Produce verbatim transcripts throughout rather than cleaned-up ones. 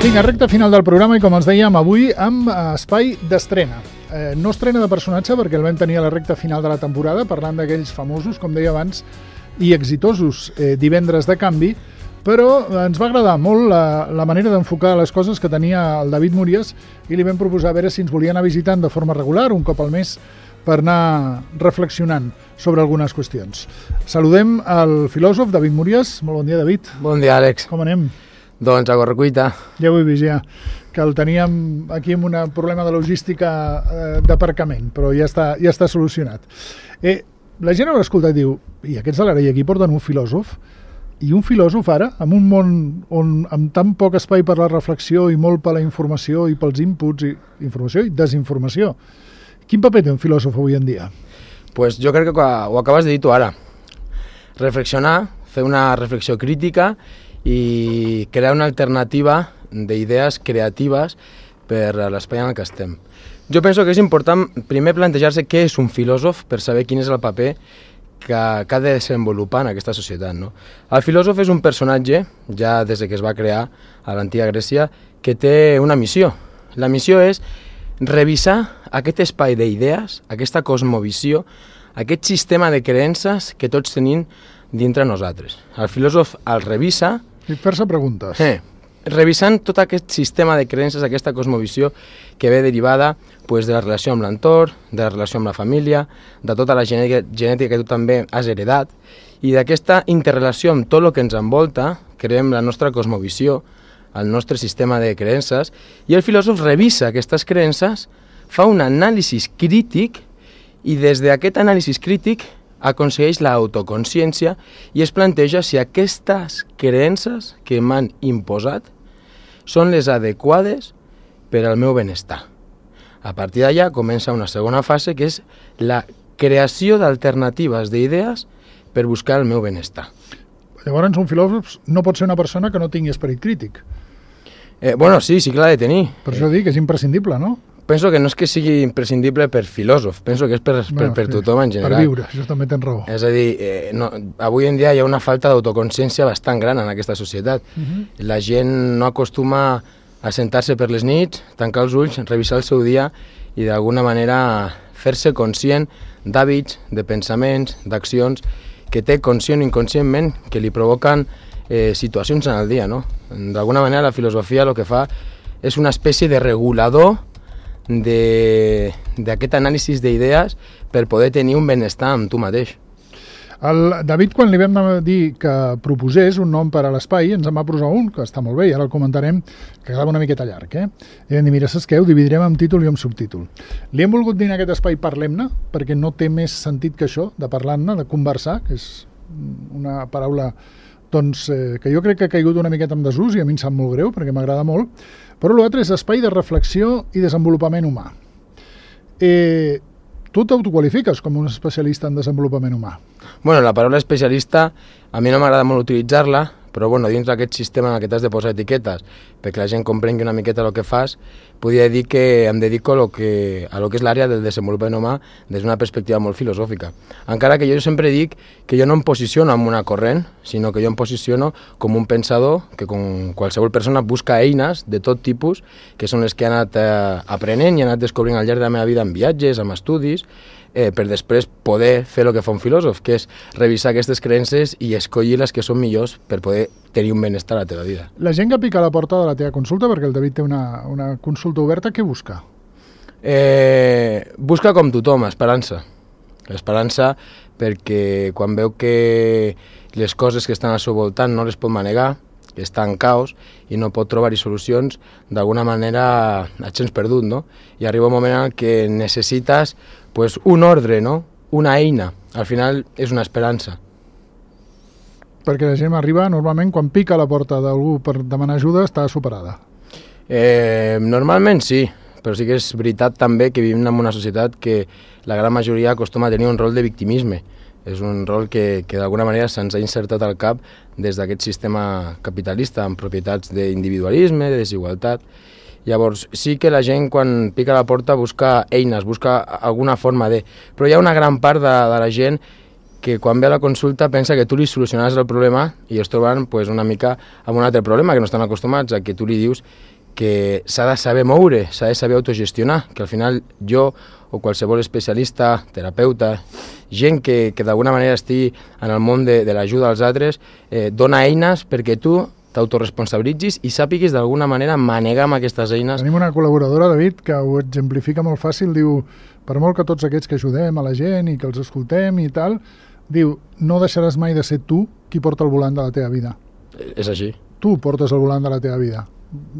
Vinga, recta final del programa i com els dèiem avui amb espai d'estrena. Eh, no estrena de personatge perquè el vam tenir a la recta final de la temporada parlant d'aquells famosos, com deia abans, i exitosos eh, divendres de canvi, però ens va agradar molt la, la manera d'enfocar les coses que tenia el David Múries i li vam proposar a veure si ens volia anar visitant de forma regular, un cop al mes, per anar reflexionant sobre algunes qüestions. Saludem el filòsof David Múries. Molt bon dia, David. Bon dia, Àlex. Com anem? Doncs a correcuita. Ja ho he vist, ja, que el teníem aquí amb un problema de logística eh, d'aparcament, però ja està, ja està solucionat. Eh, la gent haurà escoltat i diu, i aquests de l'Arei aquí porten un filòsof, i un filòsof ara, en un món on amb tan poc espai per la reflexió i molt per la informació i pels inputs, i informació i desinformació. Quin paper té un filòsof avui en dia? Pues jo crec que ho acabes de dir tu ara. Reflexionar, fer una reflexió crítica i crear una alternativa d'idees creatives per a l'espai en el que estem. Jo penso que és important primer plantejar-se què és un filòsof per saber quin és el paper que, que ha de desenvolupar en aquesta societat, no? El filòsof és un personatge, ja des que es va crear a l'antiga Grècia, que té una missió. La missió és revisar aquest espai d'idees, aquesta cosmovisió, aquest sistema de creences que tots tenim dintre nosaltres. El filòsof el revisa... I fer-se preguntes. Eh, revisant tot aquest sistema de creences, aquesta cosmovisió que ve derivada pues, de la relació amb l'entorn, de la relació amb la família, de tota la genètica, genètica que tu també has heredat, i d'aquesta interrelació amb tot el que ens envolta, creem la nostra cosmovisió, el nostre sistema de creences, i el filòsof revisa aquestes creences, fa un anàlisi crític, i des d'aquest anàlisi crític aconsegueix l'autoconsciència i es planteja si aquestes creences que m'han imposat són les adequades per al meu benestar. A partir d'allà comença una segona fase que és la creació d'alternatives d'idees per buscar el meu benestar. Llavors un filòsof no pot ser una persona que no tingui esperit crític. Eh, bueno, sí, sí que l'ha de tenir. Per això dic que és imprescindible, no? Penso que no és que sigui imprescindible per filòsof, penso que és per, per, bueno, per sí, tothom en general. Per viure, això també tens raó. És a dir, eh, no, avui en dia hi ha una falta d'autoconsciència bastant gran en aquesta societat. Uh-huh. La gent no acostuma a sentar-se per les nits, tancar els ulls, revisar el seu dia i d'alguna manera fer-se conscient d'hàbits, de pensaments, d'accions que té conscient o inconscientment que li provoquen eh, situacions en el dia, no? D'alguna manera la filosofia el que fa és una espècie de regulador d'aquest anàlisi d'idees per poder tenir un benestar amb tu mateix. El David, quan li vam dir que proposés un nom per a l'espai, ens en va posar un, que està molt bé, i ara el comentarem, que quedava una miqueta llarg, eh? I vam dir, mira, saps què? Ho dividirem en títol i en subtítol. Li hem volgut dir en aquest espai Parlem-ne, perquè no té més sentit que això, de parlar-ne, de conversar, que és una paraula doncs, eh, que jo crec que ha caigut una miqueta en desús i a mi em sap molt greu, perquè m'agrada molt, però l'altre és espai de reflexió i desenvolupament humà. Eh, tu t'autoqualifiques com un especialista en desenvolupament humà? Bueno, la paraula especialista a mi no m'agrada molt utilitzar-la, però bueno, dins d'aquest sistema en el que t'has de posar etiquetes perquè la gent comprengui una miqueta el que fas, podria dir que em dedico a lo que, a lo que és l'àrea del desenvolupament humà des d'una perspectiva molt filosòfica. Encara que jo sempre dic que jo no em posiciono en una corrent, sinó que jo em posiciono com un pensador que com qualsevol persona busca eines de tot tipus, que són les que he anat eh, aprenent i he anat descobrint al llarg de la meva vida en viatges, amb estudis, eh, per després poder fer el que fa un filòsof, que és revisar aquestes creences i escollir les que són millors per poder tenir un benestar a la teva vida. La gent que pica a la porta de la teva consulta, perquè el David té una, una consulta oberta, què busca? Eh, busca com tothom, esperança. L'esperança perquè quan veu que les coses que estan al seu voltant no les pot manegar, que està en caos i no pot trobar-hi solucions, d'alguna manera et sents perdut, no? I arriba un moment en què necessites pues, un ordre, no? Una eina. Al final és una esperança. Perquè la gent arriba, normalment, quan pica a la porta d'algú per demanar ajuda, està superada. Eh, normalment sí, però sí que és veritat també que vivim en una societat que la gran majoria acostuma a tenir un rol de victimisme. És un rol que, que d'alguna manera se'ns ha insertat al cap des d'aquest sistema capitalista amb propietats d'individualisme, de desigualtat. Llavors, sí que la gent quan pica a la porta busca eines, busca alguna forma de... Però hi ha una gran part de, de la gent que quan ve a la consulta pensa que tu li solucionaràs el problema i es troben pues, una mica amb un altre problema, que no estan acostumats a que tu li dius que s'ha de saber moure, s'ha de saber autogestionar, que al final jo o qualsevol especialista, terapeuta, gent que, que d'alguna manera estigui en el món de, de l'ajuda als altres, eh, dona eines perquè tu t'autoresponsabilitzis i sàpiguis d'alguna manera manegar amb aquestes eines. Tenim una col·laboradora, David, que ho exemplifica molt fàcil, diu, per molt que tots aquests que ajudem a la gent i que els escoltem i tal, diu, no deixaràs mai de ser tu qui porta el volant de la teva vida. És així. Tu portes el volant de la teva vida.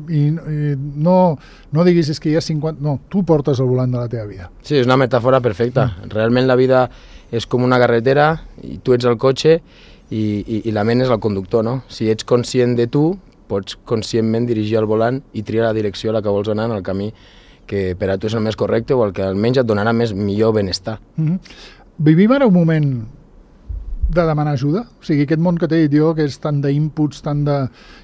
I, i no, no diguis és que hi ha cinquanta... No, tu portes el volant de la teva vida. Sí, és una metàfora perfecta. Mm. Realment la vida és com una carretera i tu ets el cotxe i, i, i la ment és el conductor, no? Si ets conscient de tu, pots conscientment dirigir el volant i triar la direcció a la que vols anar en el camí que per a tu és el més correcte o el que almenys et donarà més millor benestar. Mm-hmm. Vivim ara un moment de demanar ajuda? O sigui, aquest món que t'he dit jo, que és tant d'inputs, tant de...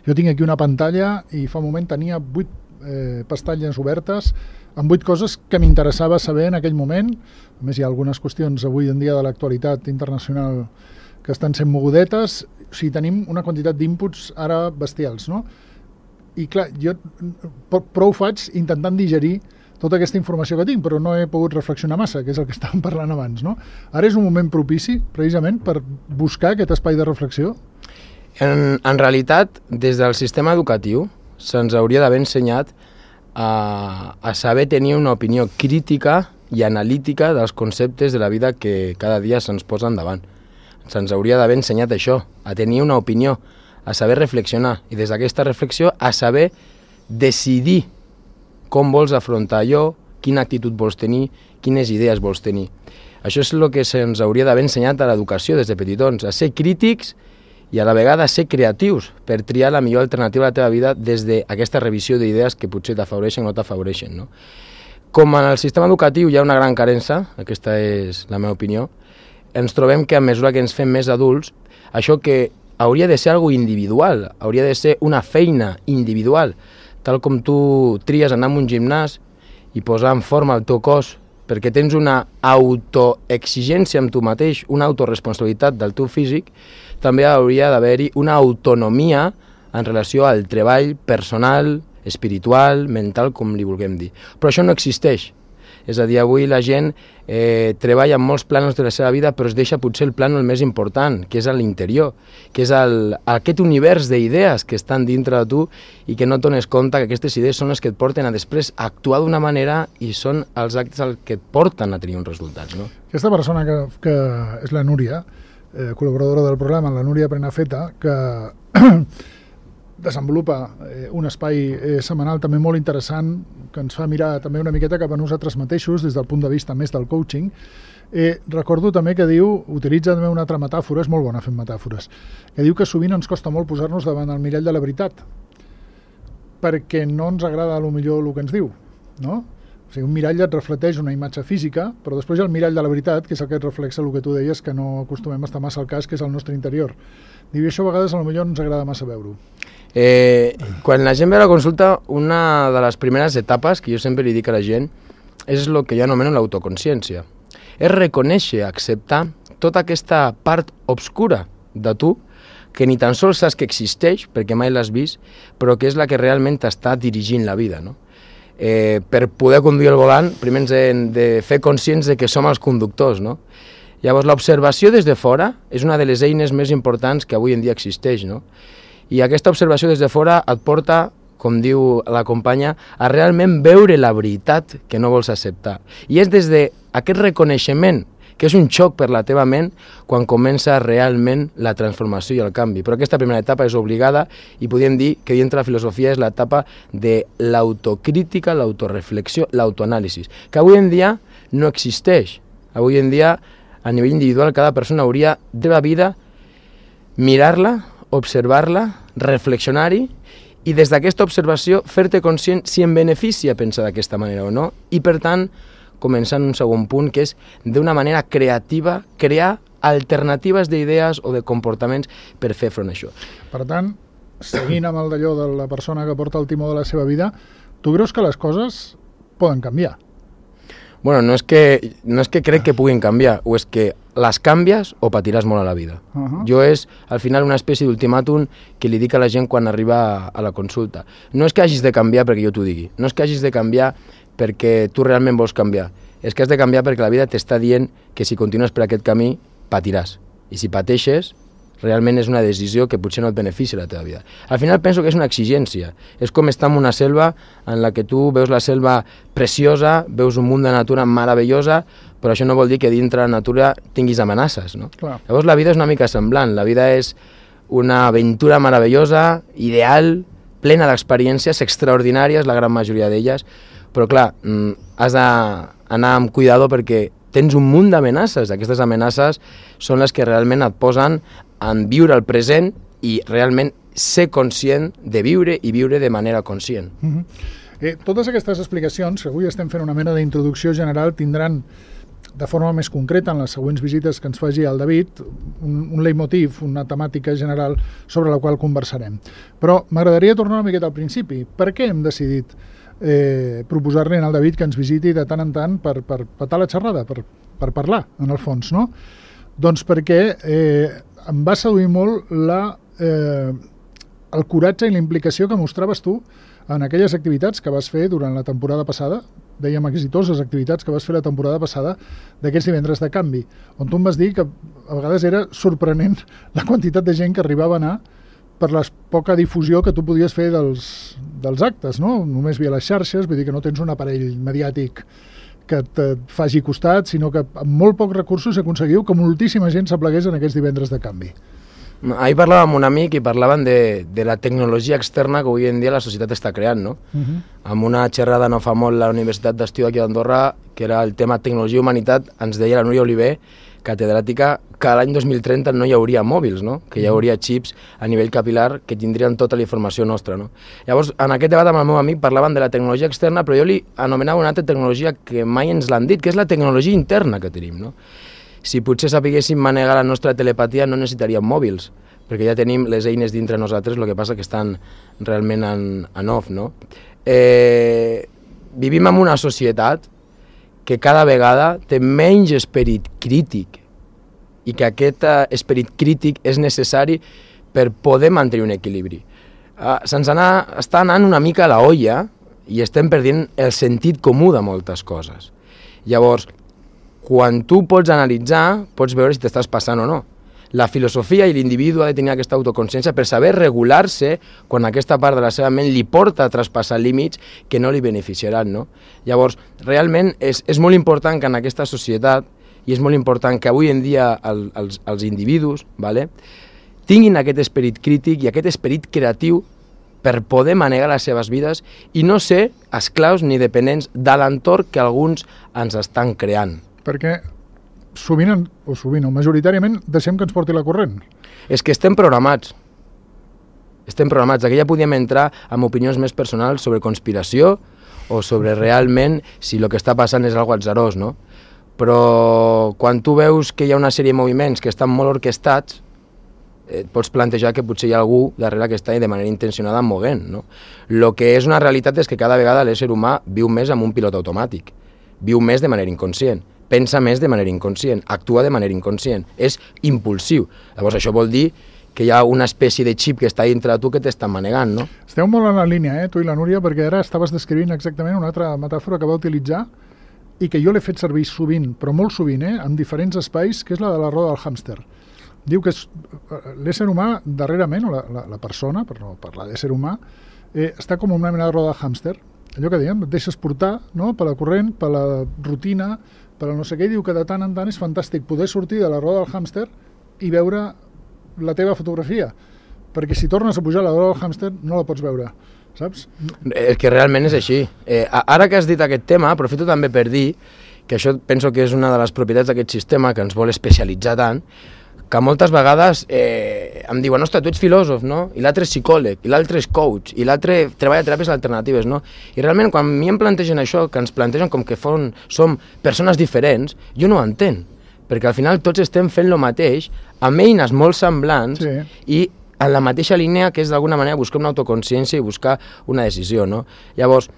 Jo tinc aquí una pantalla i fa un moment tenia vuit eh, pestatlles obertes amb vuit coses que m'interessava saber en aquell moment. A més, hi ha algunes qüestions avui en dia de l'actualitat internacional que estan sent mogudetes. O sigui, tenim una quantitat d'inputs ara bestials, no? I clar, jo prou faig intentant digerir tota aquesta informació que tinc, però no he pogut reflexionar massa, que és el que estàvem parlant abans, no? Ara és un moment propici, precisament, per buscar aquest espai de reflexió? En, en realitat, des del sistema educatiu, se'ns hauria d'haver ensenyat a, a saber tenir una opinió crítica i analítica dels conceptes de la vida que cada dia se'ns posen davant. Se'ns hauria d'haver ensenyat això, a tenir una opinió, a saber reflexionar, i des d'aquesta reflexió a saber decidir com vols afrontar allò, quina actitud vols tenir, quines idees vols tenir. Això és el que se'ns hauria d'haver ensenyat a l'educació des de petitons, a ser crítics i a la vegada a ser creatius per triar la millor alternativa a la teva vida des d'aquesta revisió d'idees que potser t'afavoreixen o no t'afavoreixen, no? Com en el sistema educatiu hi ha una gran carença, aquesta és la meva opinió, ens trobem que a mesura que ens fem més adults, això que hauria de ser algo individual, hauria de ser una feina individual, tal com tu tries anar a un gimnàs i posar en forma el teu cos perquè tens una autoexigència amb tu mateix, una autoresponsabilitat del teu físic, també hauria d'haver-hi una autonomia en relació al treball personal, espiritual, mental, com li vulguem dir. Però això no existeix. És a dir, avui la gent eh, treballa en molts plànols de la seva vida, però es deixa potser el plànol més important, que és a l'interior, que és el, aquest univers d'idees que estan dintre de tu i que no dones compte que aquestes idees són les que et porten a després actuar d'una manera i són els actes els que et porten a tenir uns resultats, no? Aquesta persona que, que és la Núria, eh, col·laboradora del programa, la Núria Prenafeta, que desenvolupa eh, un espai eh, setmanal també molt interessant que ens fa mirar també una miqueta cap a nosaltres mateixos des del punt de vista més del coaching. Eh, recordo també que diu, utilitza també una altra metàfora, és molt bona fent metàfores, que diu que sovint ens costa molt posar-nos davant el mirall de la veritat perquè no ens agrada a lo millor el que ens diu, no? O sigui, un mirall et reflecteix una imatge física, però després hi ha el mirall de la veritat, que és el que et reflexa el que tu deies, que no acostumem a estar massa al cas, que és el nostre interior. Diu, això a vegades a lo millor no ens agrada massa veure-ho. Eh, quan la gent ve a la consulta, una de les primeres etapes que jo sempre li dic a la gent és el que jo anomeno l'autoconsciència. És reconèixer, acceptar tota aquesta part obscura de tu que ni tan sols saps que existeix, perquè mai l'has vist, però que és la que realment t'està dirigint la vida, no? Eh, per poder conduir el volant, primer ens hem de fer conscients de que som els conductors, no? Llavors, l'observació des de fora és una de les eines més importants que avui en dia existeix, no? I aquesta observació des de fora et porta, com diu la companya, a realment veure la veritat que no vols acceptar. I és des d'aquest reconeixement, que és un xoc per la teva ment, quan comença realment la transformació i el canvi. Però aquesta primera etapa és obligada i podríem dir que dintre la filosofia és l'etapa de l'autocrítica, l'autoreflexió, l'autoanàlisi, que avui en dia no existeix. Avui en dia, a nivell individual, cada persona hauria de la vida mirar-la, observar-la, reflexionar-hi i des d'aquesta observació fer-te conscient si en beneficia pensar d'aquesta manera o no i, per tant, començar en un segon punt, que és d'una manera creativa crear alternatives d'idees o de comportaments per fer front a això. Per tant, seguint amb el d'allò de la persona que porta el timó de la seva vida, tu creus que les coses poden canviar? Bueno, no és, que, no és que crec que puguin canviar, o és que les canvies o patiràs molt a la vida. Uh -huh. Jo és, al final, una espècie d'ultimàtum que li dic a la gent quan arriba a, a la consulta. No és que hagis de canviar perquè jo t'ho digui, no és que hagis de canviar perquè tu realment vols canviar, és que has de canviar perquè la vida t'està dient que si continues per aquest camí patiràs. I si pateixes, realment és una decisió que potser no et beneficia la teva vida. Al final penso que és una exigència. És com estar en una selva en la que tu veus la selva preciosa, veus un munt de natura meravellosa, però això no vol dir que dintre la natura tinguis amenaces, no? Clar. Llavors la vida és una mica semblant. La vida és una aventura meravellosa, ideal, plena d'experiències extraordinàries, la gran majoria d'elles, però clar, has d'anar amb cuidado perquè tens un munt d'amenaces. Aquestes amenaces són les que realment et posen en viure el present i realment ser conscient de viure i viure de manera conscient. Uh-huh. eh, totes aquestes explicacions, que avui estem fent una mena d'introducció general, tindran de forma més concreta en les següents visites que ens faci el David un, un leitmotiv, una temàtica general sobre la qual conversarem. Però m'agradaria tornar una miqueta al principi. Per què hem decidit eh, proposar-li al David que ens visiti de tant en tant per, per petar la xerrada, per, per parlar, en el fons, no? Doncs perquè eh, em va seduir molt la, eh, el coratge i la implicació que mostraves tu en aquelles activitats que vas fer durant la temporada passada, dèiem exitoses activitats que vas fer la temporada passada d'aquests divendres de canvi, on tu em vas dir que a vegades era sorprenent la quantitat de gent que arribava a anar per la poca difusió que tu podies fer dels, dels actes, no? Només via les xarxes, vull dir que no tens un aparell mediàtic que et faci costat, sinó que amb molt pocs recursos aconseguiu que moltíssima gent s'aplegués en aquests divendres de canvi. Ahir parlava amb un amic i parlaven de, de la tecnologia externa que avui en dia la societat està creant, no? Uh-huh. Amb una xerrada no fa molt a la Universitat d'Estiu aquí d'Andorra, que era el tema tecnologia i humanitat, ens deia la Núria Oliver, catedràtica, que l'any dos mil trenta no hi hauria mòbils, no? Que hi hauria xips a nivell capilar que tindrien tota la informació nostra, no? Llavors, en aquest debat amb el meu amic parlaven de la tecnologia externa, però jo li anomenava una altra tecnologia que mai ens l'han dit, que és la tecnologia interna que tenim, no? Si potser sapiguéssim manegar la nostra telepatia no necessitaríem mòbils, perquè ja tenim les eines dintre nosaltres, el que passa que estan realment en, en off, no? Eh, vivim en una societat que cada vegada té menys esperit crític i que aquest uh, esperit crític és necessari per poder mantenir un equilibri. Uh, se'ns anar, està anant una mica a la olla i estem perdent el sentit comú de moltes coses. Llavors, quan tu pots analitzar, pots veure si t'estàs passant o no. La filosofia i l'individu ha de tenir aquesta autoconsciència per saber regular-se quan aquesta part de la seva ment li porta a traspassar límits que no li beneficiaran, no? Llavors, realment és, és molt important que en aquesta societat, i és molt important que avui en dia el, els, els individus, vale, tinguin aquest esperit crític i aquest esperit creatiu per poder manegar les seves vides i no ser esclaus ni dependents de l'entorn que alguns ens estan creant. Perquè sovint, o sovint, o majoritàriament, deixem que ens porti la corrent. És que estem programats. Estem programats. Aquí ja podíem entrar amb opinions més personals sobre conspiració o sobre realment si el que està passant és algo atzarós, no? Però quan tu veus que hi ha una sèrie de moviments que estan molt orquestats, et pots plantejar que potser hi ha algú darrere que està de manera intencionada movent, no? El que és una realitat és que cada vegada l'ésser humà viu més amb un pilot automàtic, viu més de manera inconscient, pensa més de manera inconscient, actua de manera inconscient, és impulsiu. Llavors això vol dir que hi ha una espècie de xip que està dintre de tu que t'està manegant, no? Esteu molt en la línia, eh, tu i la Núria, perquè ara estaves descrivint exactament una altra metàfora que va utilitzar i que jo l'he fet servir sovint, però molt sovint, eh, en diferents espais, que és la de la roda del hàmster. Diu que l'ésser humà, darrerament, o la, la, la persona, per no parlar d'ésser humà, eh, està com una mena de roda de hàmster. Allò que dèiem, et deixes portar, no?, per la corrent, per la rutina, per no sé què, diu que de tant en tant és fantàstic poder sortir de la roda del hàmster i veure la teva fotografia, perquè si tornes a pujar a la roda del hàmster no la pots veure, saps? És que realment és així. Eh, ara que has dit aquest tema, aprofito també per dir que això penso que és una de les propietats d'aquest sistema que ens vol especialitzar tant, que moltes vegades eh, em diuen, ostres, tu ets filòsof, no? I l'altre és psicòleg, i l'altre és coach, i l'altre treballa teràpies alternatives, no? I realment, quan a mi em plantegen això, que ens plantegen com que fon, som persones diferents, jo no ho entenc, perquè al final tots estem fent el mateix, amb eines molt semblants, sí, i en la mateixa línia que és d'alguna manera buscar una autoconsciència i buscar una decisió, no? Llavors,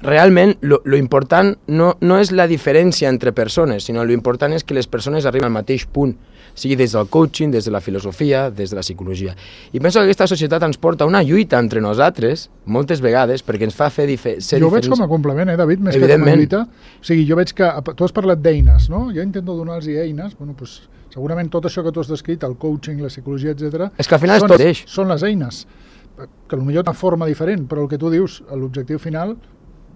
realment lo, lo important no, no és la diferència entre persones, sinó lo important és que les persones arriben al mateix punt, sigui des del coaching, des de la filosofia, des de la psicologia. I penso que aquesta societat ens porta una lluita entre nosaltres, moltes vegades, perquè ens fa fer dife ser jo diferents. Jo ho veig com a complement, eh, David, més que com a lluita. O sigui, jo veig que tu has parlat d'eines, no? Jo intento donar-los eines, bueno, doncs, segurament tot això que tu has descrit, el coaching, la psicologia, etcètera, és que al final són, és tot eix. Són les eines, que potser una forma diferent, però el que tu dius, l'objectiu final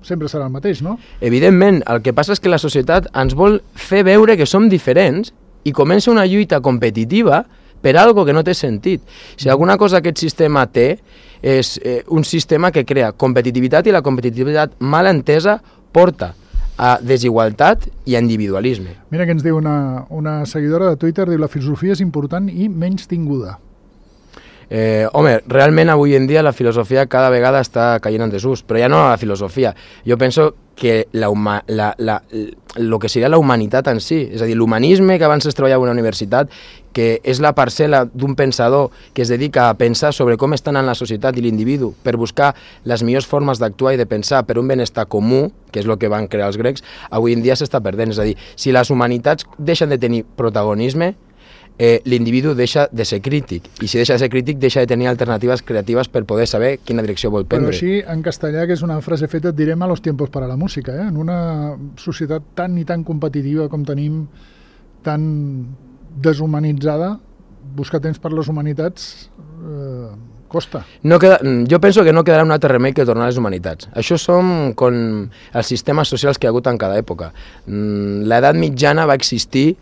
sempre serà el mateix, no? Evidentment, el que passa és que la societat ens vol fer veure que som diferents i comença una lluita competitiva per algo que no té sentit. Si alguna cosa aquest sistema té, és eh, un sistema que crea competitivitat, i la competitivitat mal entesa porta a desigualtat i a individualisme. Mira que ens diu una, una seguidora de Twitter, diu la filosofia és important i menys tinguda. Eh, home, realment avui en dia la filosofia cada vegada està caient en desús, però ja no la filosofia. Jo penso que la, la, la, lo que seria la humanitat en si, és a dir, l'humanisme que abans es treballava a una universitat, que és la parcel·la d'un pensador que es dedica a pensar sobre com està anant la societat i l'individu per buscar les millors formes d'actuar i de pensar per un benestar comú, que és el que van crear els grecs, avui en dia s'està perdent. És a dir, si les humanitats deixen de tenir protagonisme, Eh, l'individu deixa de ser crític, i si deixa de ser crític deixa de tenir alternatives creatives per poder saber quina direcció vol prendre. Però així, en castellà, que és una frase feta, et direm a los tiempos para la música, eh? En una societat tan i tan competitiva com tenim, tan deshumanitzada, buscar temps per les humanitats eh, costa. No queda, jo penso que no quedarà un altre remei que tornar a les humanitats. Això som com els sistemes socials que hi ha hagut en cada època. L'edat mitjana va existir,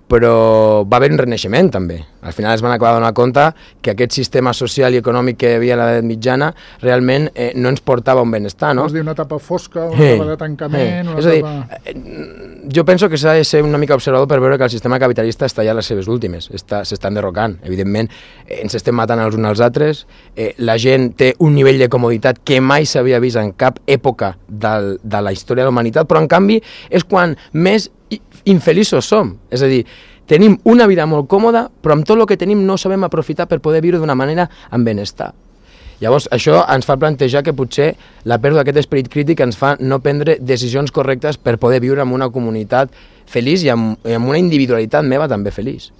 però va haver un renaixement també. Al final es van acabar donant compte que aquest sistema social i econòmic que hi havia a l'edat mitjana realment eh, no ens portava un benestar, no? Vols dir una etapa fosca, una hey, etapa de tancament... Hey. Una És a dir, etapa... eh, jo penso que s'ha de ser una mica observador per veure que el sistema capitalista està ja a les seves últimes, s'està enderrocant. Evidentment, eh, ens estem matant els uns als altres, eh, la gent té un nivell de comoditat que mai s'havia vist en cap època del, de la història de la humanitat, però en canvi és quan més infeliços som. És a dir, tenim una vida molt còmoda, però amb tot el que tenim no sabem aprofitar per poder viure d'una manera amb benestar. Llavors, això ens fa plantejar que potser la pèrdua d'aquest esperit crític ens fa no prendre decisions correctes per poder viure en una comunitat feliç i amb, i amb una individualitat meva també feliç.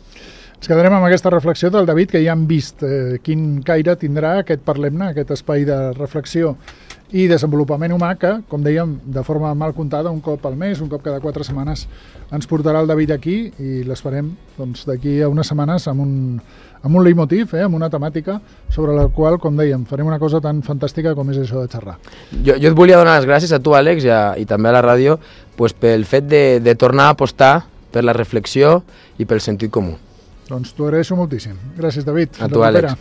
Ens quedarem amb aquesta reflexió del David, que ja hem vist eh, quin caire tindrà aquest Parlem-ne, aquest espai de reflexió i desenvolupament humà que, com dèiem, de forma mal comptada, un cop al mes, un cop cada quatre setmanes, ens portarà el David aquí i l'esperem doncs, d'aquí a unes setmanes amb un, amb un leitmotiv, eh, amb una temàtica sobre la qual, com dèiem, farem una cosa tan fantàstica com és això de xerrar. Jo, jo et volia donar les gràcies a tu, Àlex, i, a, i també a la ràdio, pues, pel fet de, de tornar a apostar per la reflexió i pel sentit comú. Doncs t'ho agraeixo moltíssim. Gràcies, David. A tu, Àlex.